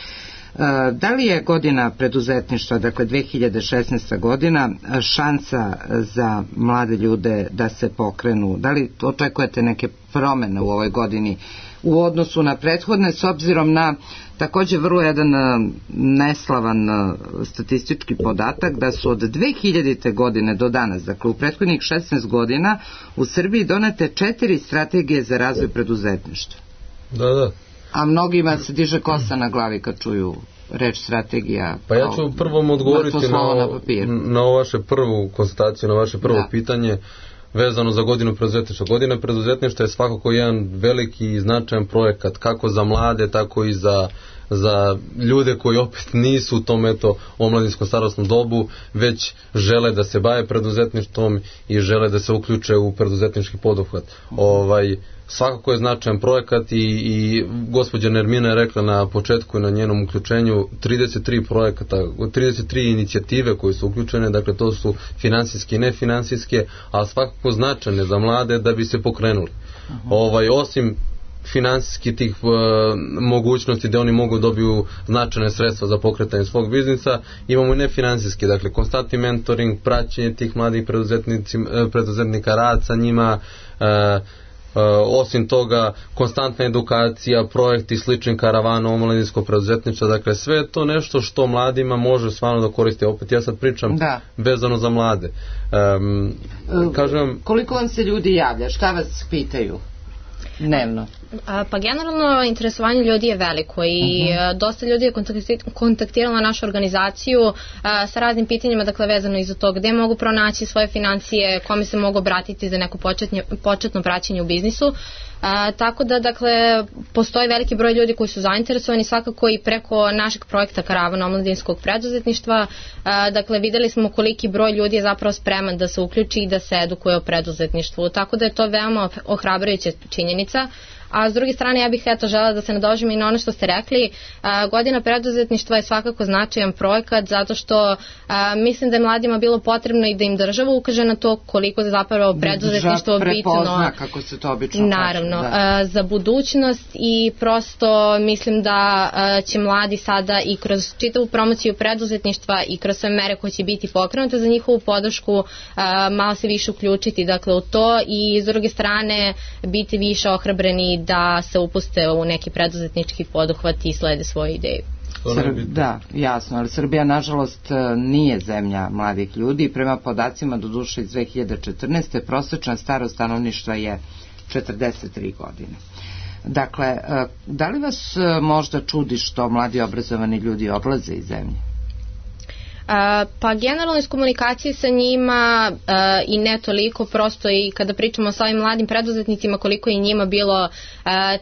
Da li je godina preduzetništva, dakle 2016. godina, šansa za mlade ljude da se pokrenu? Da li očekujete neke promene u ovoj godini u odnosu na prethodne, s obzirom na također vrlo jedan neslavan statistički podatak da su od 2000. godine do danas, dakle u prethodnih 16 godina, u Srbiji donete 4 strategije za razvoj preduzetništva? Da. A mnogima se diže kosa na glavi kad čuju reč strategija. Pa ja ću prvom odgovoriti na vaše prvu konstataciju, na vaše prvo pitanje vezano za godinu preduzetništva. Godina preduzetništva je svakako jedan veliki i značajan projekat, kako za mlade, tako i za ljude koji opet nisu u tom omladinskom starosnom dobu, već žele da se bave preduzetništvom i žele da se uključe u preduzetnički poduhvat. Svakako je značajan projekat i gospođa Nermina je rekla na početku i na njenom uključenju 33 projekata, 33 inicijative koje su uključene, dakle to su finansijske i nefinansijske, a svakako značajne za mlade da bi se pokrenuli. Osim finansijski tih mogućnosti da oni mogu dobiju značajne sredstva za pokretanje svog biznisa, imamo i nefinansijski, dakle konstantni mentoring, praćenje tih mladih preduzetnika, rad sa njima, osim toga konstantna edukacija, projekti slični karavana omladinskog preduzetništva, dakle sve je to nešto što mladima može stvarno da koristi. Opet ja sad pričam vezano za mlade. Koliko vam se ljudi javlja? Šta vas pitaju dnevno? Pa generalno interesovanje ljudi je veliko i dosta ljudi je kontaktiralo našu organizaciju sa raznim pitanjima, dakle vezano i za to gde mogu pronaći svoje financije, kome se mogu obratiti za neko početno praćenje u biznisu. Tako da, dakle, postoji veliki broj ljudi koji su zainteresovani, svakako i preko našeg projekta Karavana omladinskog preduzetništva. Dakle, videli smo koliki broj ljudi je zapravo spreman da se uključi i da se edukuje o preduzetništvu, tako da je to veoma ohrabrujuća činjenica. A s druge strane ja bih želela da se nadožem i na ono što ste rekli. Godina preduzetništva je svakako značajan projekat zato što mislim da je mladima bilo potrebno i da im država ukaže na to koliko je zapravo preduzetništvo bitno, kako se to obično naravno, za budućnost, i prosto mislim da će mladi sada i kroz čitavu promociju preduzetništva i kroz sve mere koje će biti pokrenute za njihovu podršku malo se više uključiti, dakle, u to, i s druge strane biti više ohrabreni da se upuste u neki preduzetnički poduhvat i slede svoje ideje. Da, jasno, ali Srbija nažalost nije zemlja mladih ljudi. Prema podacima doduše iz 2014. prosječna starost stanovništva je 43 godine. Dakle, da li vas možda čudi što mladi obrazovani ljudi odlaze iz zemlje? Pa generalno iz komunikacije sa njima i ne toliko, prosto i kada pričamo sa ovim mladim preduzetnicima koliko je njima bilo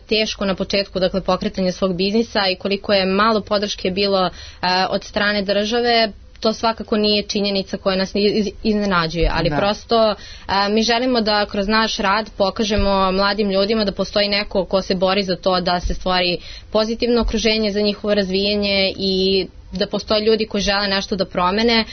teško na početku, dakle, pokretanja svog biznisa i koliko je malo podrške bilo od strane države, to svakako nije činjenica koja nas iznenađuje, ali prosto mi želimo da kroz naš rad pokažemo mladim ljudima da postoji neko ko se bori za to da se stvori pozitivno okruženje za njihovo razvijanje i da postoje ljudi koji žele nešto da promene.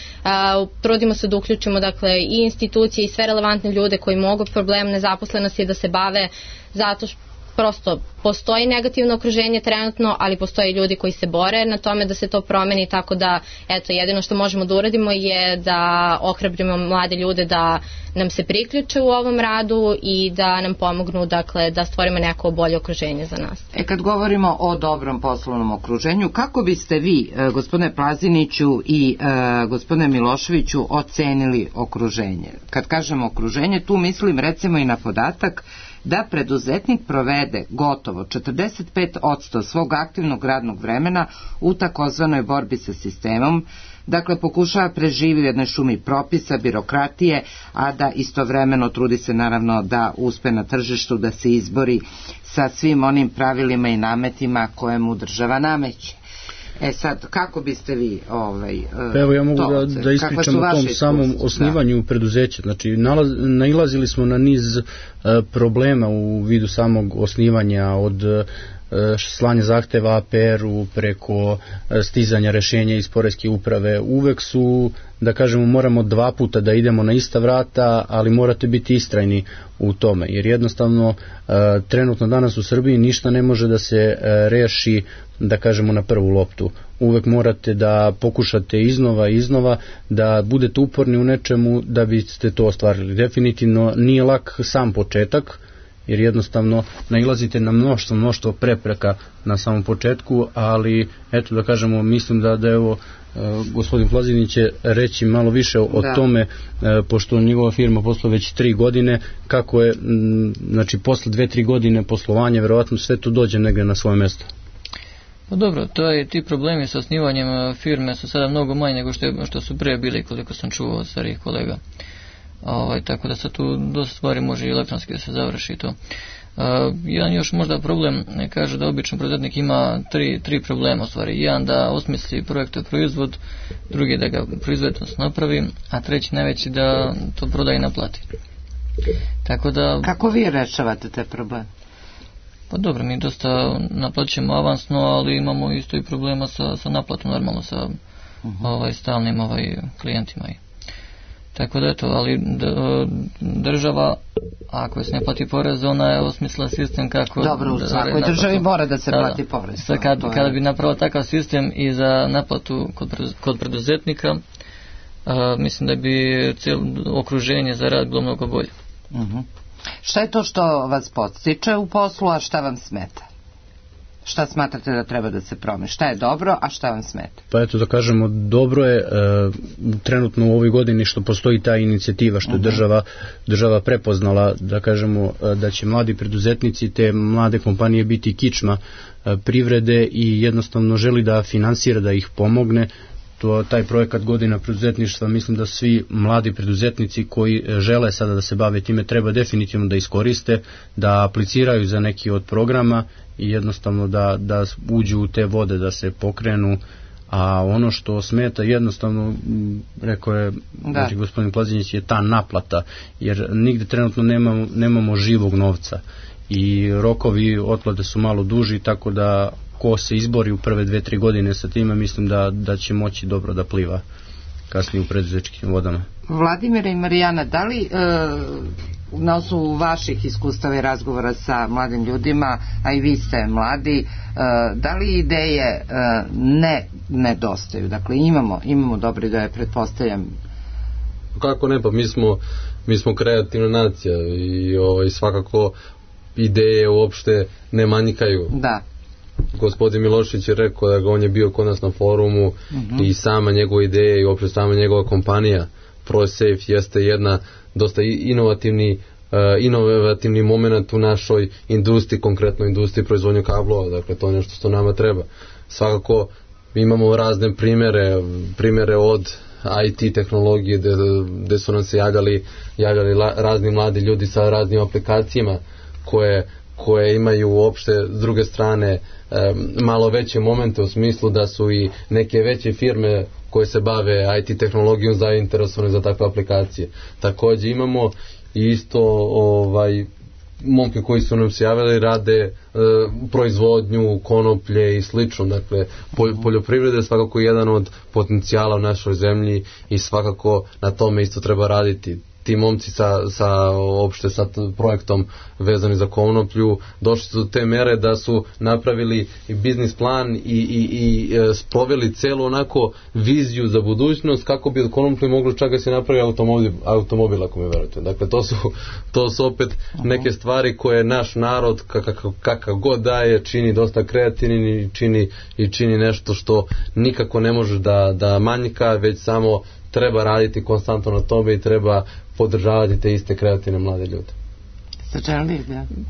Trudimo se da uključimo, dakle, i institucije i sve relevantne ljude koji mogu problem nezaposlenosti da se bave, zato što prosto postoji negativno okruženje trenutno, ali postoje ljudi koji se bore na tome da se to promeni, tako da eto, jedino što možemo da uradimo je da ohrabrimo mlade ljude da nam se priključe u ovom radu i da nam pomognu, dakle, da stvorimo neko bolje okruženje za nas. Kad govorimo o dobrom poslovnom okruženju, kako biste vi, gospodine Plaziniću i gospodine Miloševiću, ocenili okruženje? Kad kažemo okruženje, tu mislim recimo i na podatak da preduzetnik provede gotovo 45% svog aktivnog radnog vremena u takozvanoj borbi sa sistemom, dakle pokušava preživi u jednoj šumi propisa, birokratije, a da istovremeno trudi se naravno da uspe na tržištu, da se izbori sa svim onim pravilima i nametima koje mu država nameće. Sad, kako biste vi pa evo ja mogu da ispričam o tom samom osnivanju preduzeća. Znači, nailazili smo na niz problema u vidu samog osnivanja, od slanja zahteva APR-u preko stizanja rešenja iz poreske uprave. Uvek su, da kažemo, moramo 2 puta da idemo na ista vrata, ali morate biti istrajni u tome, jer jednostavno trenutno danas u Srbiji ništa ne može da se reši, da kažemo, na prvu loptu. Uvek morate da pokušate iznova, da budete uporni u nečemu da biste to ostvarili. Definitivno nije lak sam početak, jer jednostavno nailazite na mnoštvo prepreka na samom početku, ali eto, da kažemo, mislim da evo gospodin Plazinić će reći malo više o tome, pošto njegova firma posluje već 3 godine, kako je, znači posle 2-3 godine poslovanja verovatno sve to dođe negde na svoje mesto. Pa dobro, ti problemi sa osnivanjem firme su sada mnogo manji nego što su pre bili, koliko sam čuo od starih kolega. Tako da sad tu dosta stvari može i elektronski da se završi to. Jedan još možda problem, kaže da običan preduzetnik ima tri problema u stvari. Jedan da osmisli projektuje proizvod, drugi da ga proizvedno napravi, a treći najveći da to prodaje i naplati. Tako da... Kako vi rešavate te probleme? Pa dobro, mi dosta naplaćujemo avansno, ali imamo isto i problema sa naplatom, normalno sa stalnim klijentima. Tako da eto, ali država, ako se ne plati porez, ona je osmislila sistem kako... Dobro, u svakoj državi mora da se plati porez. Kada bi napravila takav sistem i za naplatu kod preduzetnika, mislim da bi cijelo okruženje za rad bilo mnogo bolje. Šta je to što vas podstiče u poslu, a šta vam smeta? Šta smatrate da treba da se promeni? Šta je dobro, a šta vam smeta? Pa eto, da kažemo, dobro je trenutno u ovoj godini što postoji ta inicijativa, što je država prepoznala, da kažemo, da će mladi preduzetnici, te mlade kompanije biti kičma privrede i jednostavno želi da finansira, da ih pomogne. Taj projekat Godina preduzetništva, mislim da svi mladi preduzetnici koji žele sada da se bave time treba definitivno da iskoriste, da apliciraju za neki od programa i jednostavno da uđu u te vode, da se pokrenu. A ono što smeta, jednostavno, rekao je znači, gospodin Plazinić, je ta naplata, jer nigde trenutno nemamo živog novca i rokovi otplate su malo duži, tako da ko se izbori u prve 2-3 godine sa time, mislim da će moći dobro da pliva kasnije u preduzetničkim vodama. Vladimira i Marijana, da li na osnovu vaših iskustava i razgovora sa mladim ljudima, a i vi ste mladi, da li ideje ne nedostaju? Dakle, imamo dobre ideje, pretpostavljam. Kako ne, pa mi smo kreativna nacija i svakako ideje uopšte ne manjkaju. Da. Gospodin Milošević je rekao da on je bio kod nas na forumu i sama njegova ideja i uopšte sama njegova kompanija ProSafe jeste jedna dosta inovativni moment u našoj industriji, konkretno industriji proizvodnje kablova, dakle to je nešto što nama treba. Svakako imamo razne primere od IT tehnologije gde su nam se javljali razni mladi ljudi sa raznim aplikacijama koje imaju uopšte s druge strane malo veće momente u smislu da su i neke veće firme koje se bave IT tehnologijom zainteresovane za takve aplikacije. Također imamo isto momke koji su nam se javili, rade proizvodnju konoplje i slično. Dakle, poljoprivreda je svakako jedan od potencijala u našoj zemlji i svakako na tome isto treba raditi. Ti momci sa projektom vezani za konoplju došli su do te mere da su napravili i biznis plan i sproveli celu onako viziju za budućnost kako bi od konoplje mogli čak da se napravi automobil, ako mi verujete. Dakle, to su opet neke stvari koje naš narod kakav god daje čini dosta kreativnim i čini nešto što nikako ne može da manjka, već samo treba raditi konstantno na tome i treba podržavati te iste kreativne mlade ljude.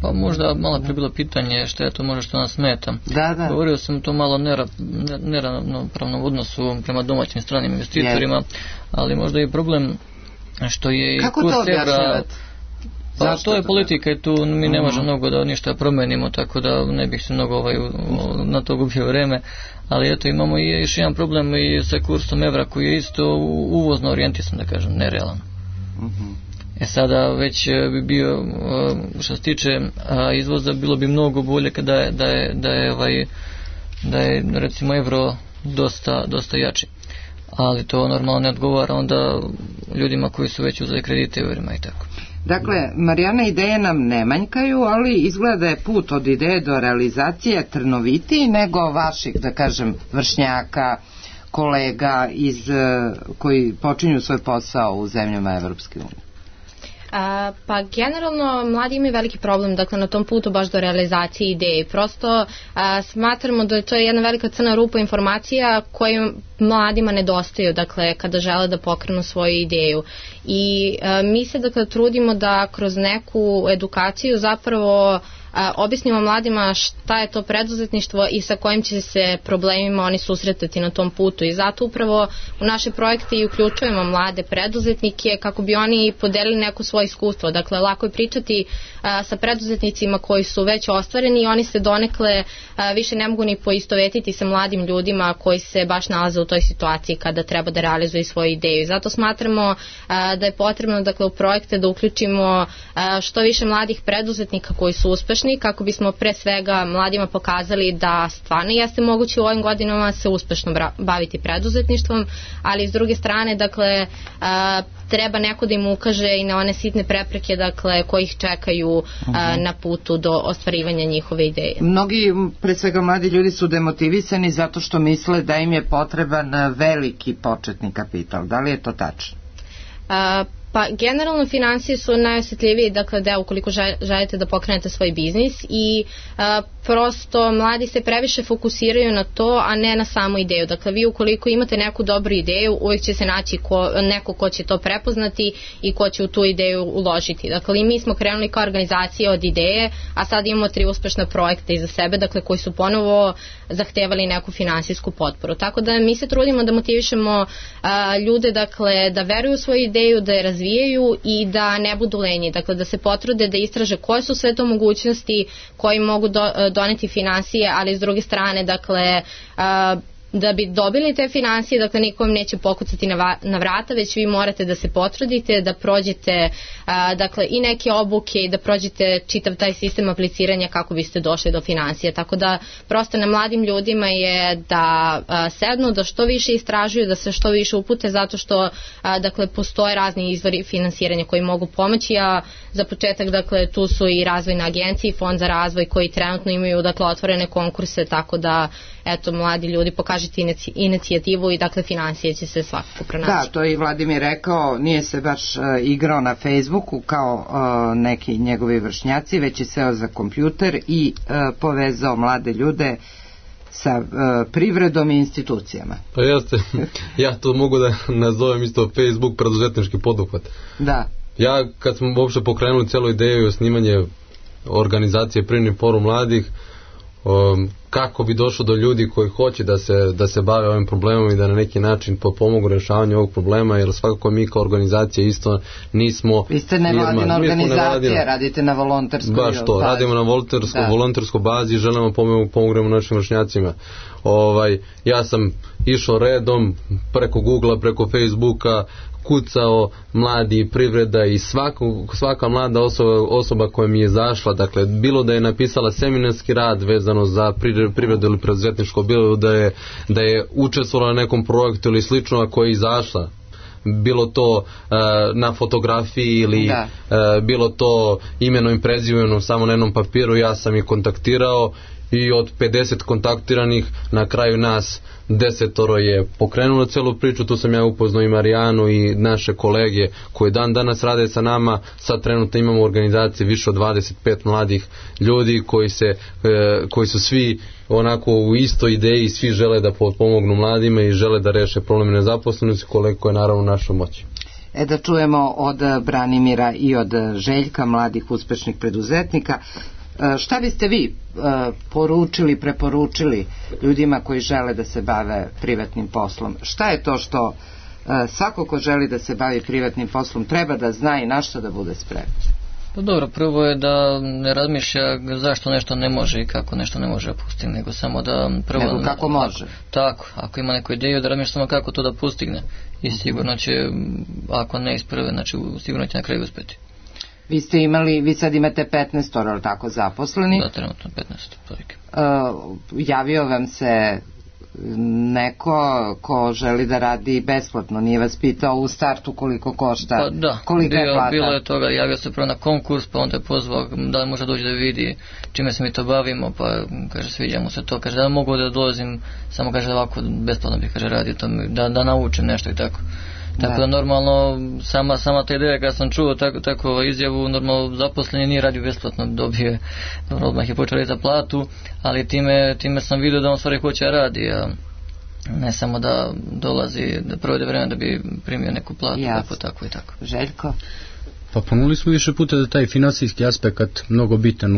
Pa možda malo pre bilo pitanje šta je to možda što nas smeta. Da. Govorio sam to malo neravnopravnom odnosu prema domaćim stranim investitorima, ali možda je problem što je kako to objašnjavate? Pa to je politika i tu mi ne možemo mnogo da ništa promenimo, tako da ne bih se mnogo na to gubio vreme, ali eto imamo i još jedan problem i sa kursom evra koji je isto uvozno orijentisan, da kažem, nerealan. Sada već bi bio, što se tiče izvoza, bilo bi mnogo bolje kada da je recimo evro dosta jači, ali to normalno ne odgovara onda ljudima koji su već uzeli kredite evrima i tako. Dakle, Marijana, ideje nam ne manjkaju, ali izgleda da je put od ideje do realizacije trnovitiji nego vaših, da kažem, vršnjaka, kolega koji počinju svoj posao u zemljama Evropske unije. Pa generalno mladi imaju veliki problem, dakle, na tom putu baš do realizacije ideje. Prosto smatramo da je to jedna velika crna rupa informacija koje mladima nedostaju, dakle, kada žele da pokrenu svoju ideju. I mi se, dakle, trudimo da kroz neku edukaciju zapravo objasnimo mladima šta je to preduzetništvo i sa kojim će se problemima oni susretati na tom putu. I zato upravo u naše projekte i uključujemo mlade preduzetnike kako bi oni podelili neko svoje iskustvo. Dakle, lako je pričati sa preduzetnicima koji su već ostvareni i oni se donekle više ne mogu ni poistovetiti sa mladim ljudima koji se baš nalaze u toj situaciji kada treba da realizuju svoju ideju. I zato smatramo da je potrebno, dakle, u projekte da uključimo što više mladih preduzetnika koji su uspešni, kako bismo pre svega mladima pokazali da stvarno jeste moguće u ovim godinama se uspešno baviti preduzetništvom, ali s druge strane, dakle, treba neko da im ukaže i na one sitne prepreke, dakle, koji ih čekaju na putu do ostvarivanja njihove ideje. Mnogi, pre svega mladi ljudi, su demotivisani zato što misle da im je potreban veliki početni kapital. Da li je to tačno? Pa generalno finansije su najosjetljiviji, dakle, deo ukoliko želite da pokrenete svoj biznis i prosto mladi se previše fokusiraju na to, a ne na samu ideju. Dakle, vi ukoliko imate neku dobru ideju, uvijek će se naći neko ko će to prepoznati i ko će u tu ideju uložiti. Dakle, i mi smo krenuli kao organizacija od ideje, a sad imamo 3 uspešna projekta iza sebe, dakle, koji su ponovo zahtevali neku finansijsku potporu. Tako da mi se trudimo da motivišemo ljude, dakle, da veruju u svoju ideju, da je razvijaju i da ne budu lenji. Dakle, da se potrude da istraže koje su sve to mogućnosti koji mogu doneti finansije, ali s druge strane, dakle, da bi dobili te finansije, dakle, nikom neće pokucati na vrata, već vi morate da se potrudite, da prođete dakle, i neke obuke i da prođete čitav taj sistem apliciranja kako biste došli do finansija. Tako da prosto na mladim ljudima je da sednu, da što više istražuju, da se što više upute, zato što dakle, postoje razni izvori finansiranja koji mogu pomoći, a za početak, dakle, tu su i razvojne agencije i fond za razvoj koji trenutno imaju, dakle, otvorene konkurse, tako da eto, mladi ljudi, pokažite inicijativu i, dakle, finansije će se svakako pronaći. Da, to je i Vladimir rekao, nije se baš igrao na Facebooku kao neki njegovi vršnjaci, već je seo za kompjuter i povezao mlade ljude sa privredom i institucijama. Pa jeste, ja to mogu da nazovem isto Facebook preduzetnički poduhvat. Da. Ja kad smo uopšte pokrenuli celu ideju o snimanje organizacije Privredni forum mladih, kako bi došlo do ljudi koji hoće da se bave ovim problemom i da na neki način pomogu rješavanju ovog problema, jer svakako mi kao organizacija isto nismo... Vi ste nevladina organizacija, radite na volonterskoj bazi. Baš to, radimo na volonterskoj bazi i želimo pomognemo našim vršnjacima. Ja sam išao redom preko Googlea, preko Facebooka, kucao mladi privreda i svaka mlada osoba koja mi je zašla, dakle, bilo da je napisala seminarski rad vezano za privredu ili preduzetništvo, bilo da je učestvovala na nekom projektu ili slično, a koja je izašla, bilo to na fotografiji ili bilo to imenom i prezimenom samo na jednom papiru, ja sam ih kontaktirao i od 50 kontaktiranih na kraju nas 10 je pokrenulo celu priču. Tu sam ja upoznao i Marijanu i naše kolege koji danas rade sa nama. Sad trenutno imamo u organizaciji više od 25 mladih ljudi koji su svi onako u istoj ideji, svi žele da pomognu mladima i žele da reše probleme nezaposlenosti, koliko je naravno u našoj moći. Da čujemo od Branimira i od Željka, mladih uspešnih preduzetnika. Šta biste vi preporučili ljudima koji žele da se bave privatnim poslom? Šta je to što svako ko želi da se bavi privatnim poslom treba da zna i na što da bude spreman? Pa dobro, prvo je da ne razmišlja zašto nešto ne može i kako nešto ne može pustiti, nego samo da prvo... Nego kako može. Tako, ako ima neku ideju, da razmišlja samo kako to da postigne i sigurno će, ako ne isprve, znači sigurno će na kraju uspjeti. Vi sad imate 15, ali tako, zaposleni? Da, trenutno 15. Javio vam se neko ko želi da radi besplatno, nije vas pitao u startu koliko košta, pa da, kolika je plata? Bilo je toga, javio se prvo na konkurs, pa onda je pozvao da li može doći da vidi čime se mi to bavimo, pa kaže sviđa mu se to, kaže da mogu da dolazim, samo kaže ovako besplatno bi kaže radio to, da naučim nešto i tako. Tako da normalno sama ta ideja kad sam čuo tako izjavu, normalno zaposleni nije radio besplatno, dobije, odmah je počeo za platu, ali time sam vidio da on stvari hoće radi, a ne samo da dolazi, da provede vreme da bi primio neku platu, tako i tako. Željko? Pa ponuli smo više puta da taj financijski aspekt mnogo bitan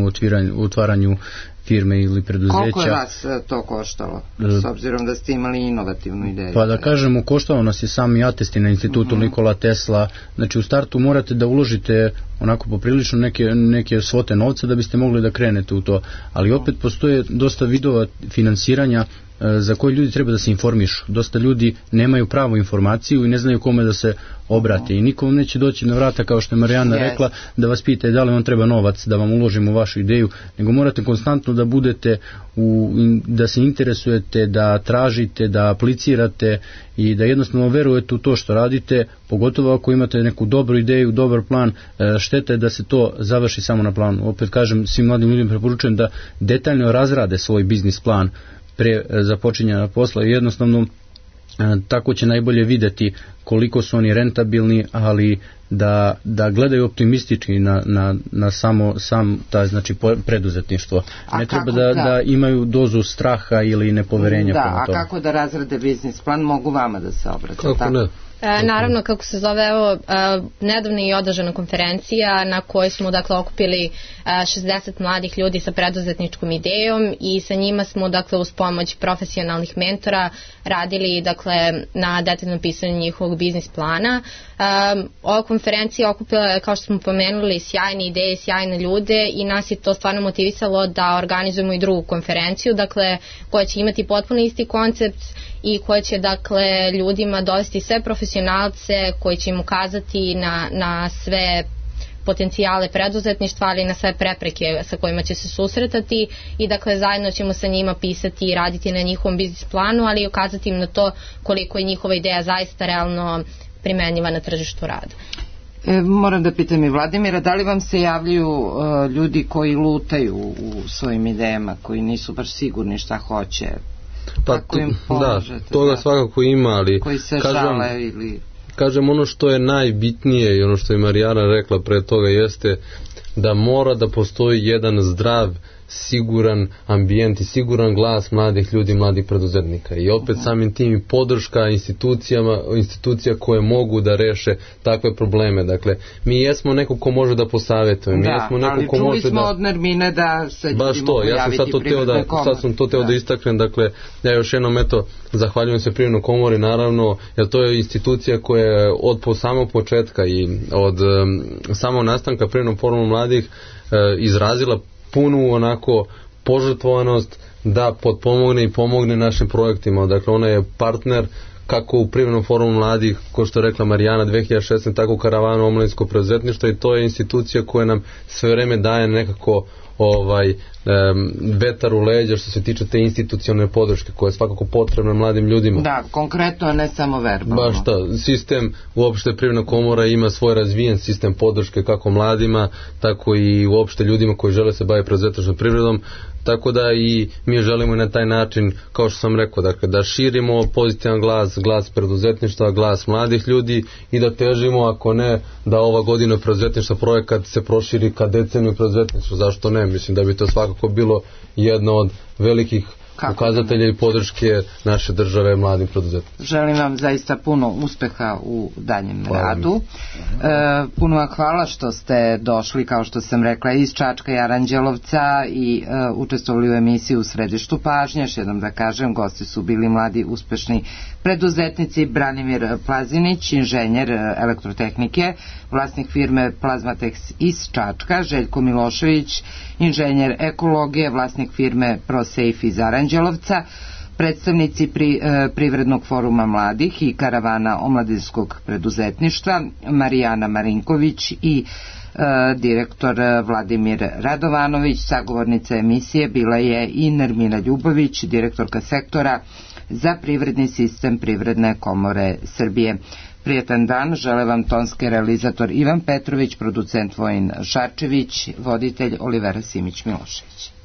u otvaranju firme ili preduzeća. Koliko je vas to koštalo, s obzirom da ste imali inovativnu ideju? Pa da kažemo, koštalo nas je sami atesti na institutu Nikola Tesla. Znači u startu morate da uložite onako poprilično neke svote novca da biste mogli da krenete u to, ali opet postoje dosta vidova finansiranja za koje ljudi treba da se informišu. Dosta ljudi nemaju pravu informaciju i ne znaju kome da se obrate i nikom neće doći na vrata, kao što je Marijana rekla, da vas pita da li vam treba novac da vam uložimo u vašu ideju, nego morate konstantno da budete da se interesujete, da tražite, da aplicirate i da jednostavno verujete u to što radite, pogotovo ako imate neku dobru ideju, dobar plan. Šteta je da se to završi samo na planu. Opet kažem, svim mladim ljudima preporučujem da detaljno razrade svoj biznis plan pre započinjanja posla i jednostavno tako će najbolje vidjeti koliko su oni rentabilni, ali da gledaju optimistički na sam taj znači preduzetništvo. Ne treba da imaju dozu straha ili nepoverenja prema tome. A kako da razrade biznis plan, mogu vama da se obrate? Kako ne? Naravno, kako se zove, evo, nedavno je održana konferencija na kojoj smo dakle okupili 60 mladih ljudi sa preduzetničkom idejom i sa njima smo dakle uz pomoć profesionalnih mentora radili dakle na detaljnom pisanju njihovog biznis plana. Ova konferencija okupila je, kao što smo pomenuli, sjajne ideje, sjajne ljude i nas je to stvarno motivisalo da organizujemo i drugu konferenciju, dakle koja će imati potpuno isti koncept i koja će dakle ljudima dovesti sve profesionalce koji će im ukazati na sve potencijale preduzetništva, ali i na sve prepreke sa kojima će se susretati i dakle zajedno ćemo sa njima pisati i raditi na njihovom biznis planu, ali i ukazati im na to koliko je njihova ideja zaista realno primenjiva na tržištu rada. Moram da pitam i Vladimira, da li vam se javljaju ljudi koji lutaju u svojim idejama, koji nisu baš sigurni šta hoće? Pa toga svakako ima, ali koji se žale ili... Kažem, ono što je najbitnije i ono što je Marijana rekla pre toga jeste da mora da postoji jedan zdrav, siguran ambijent i siguran glas mladih ljudi, mladih preduzetnika i opet samim tim i podrška institucija koje mogu da reše takve probleme. Dakle, mi jesmo neko ko može da posavjetuje, mi jesmo neko ko može da... ali čuli smo od Nermine da se baš to, ja sam sad to teo da istaknem, dakle, ja još jednom zahvaljujem se Privrednoj komori, naravno, jer to je institucija koja je od samog početka i od samog nastanka Privrednog foruma mladih izrazila punu onako požrtvovanost da potpomogne i pomogne našim projektima. Dakle, ona je partner kako u Privrednom forumu mladih, ko što je rekla Marijana 2016, tako u Karavanu omladinskog preduzetništva i to je institucija koja nam sve vreme daje nekako vetar u leđa što se tiče te institucionalne podrške koja je svakako potrebna mladim ljudima. Da, konkretno, a ne samo verbalno. Baš to, sistem uopšte Privredna komora ima svoj razvijen sistem podrške kako mladima, tako i uopšte ljudima koji žele se baviti preduzetničkom privredom, tako da i mi želimo i na taj način, kao što sam rekao, dakle, da širimo pozitivan glas preduzetništva, glas mladih ljudi i da težimo, ako ne, da ova godina preduzetništva projekat se proširi ka deceniju preduzetništva, zašto ne? Mislim da bi to svakako bilo jedno od velikih pokazatelje i podrške naše države mladim preduzetnicima. Želim vam zaista puno uspeha u daljem radu. Puno vam hvala što ste došli, kao što sam rekla, iz Čačka i Aranđelovca i učestvovali u emisiji U središtu pažnje. Još jednom da kažem, gosti su bili mladi uspešni preduzetnici Branimir Plazinić, inženjer elektrotehnike, vlasnik firme Plazmatex iz Čačka, Željko Milošević, inženjer ekologije, vlasnik firme ProSafe iz Aranđelovca, predstavnici Privrednog foruma mladih i karavana omladinskog preduzetništva Marijana Marinković i direktor Vladimir Radovanović. Sagovornica emisije bila je i Nermina Ljubović, direktorka sektora za privredni sistem Privredne komore Srbije. Prijetan dan, žele vam tonski realizator Ivan Petrović, producent Vojin Šarčević, voditelj Olivera Simić-Milošević.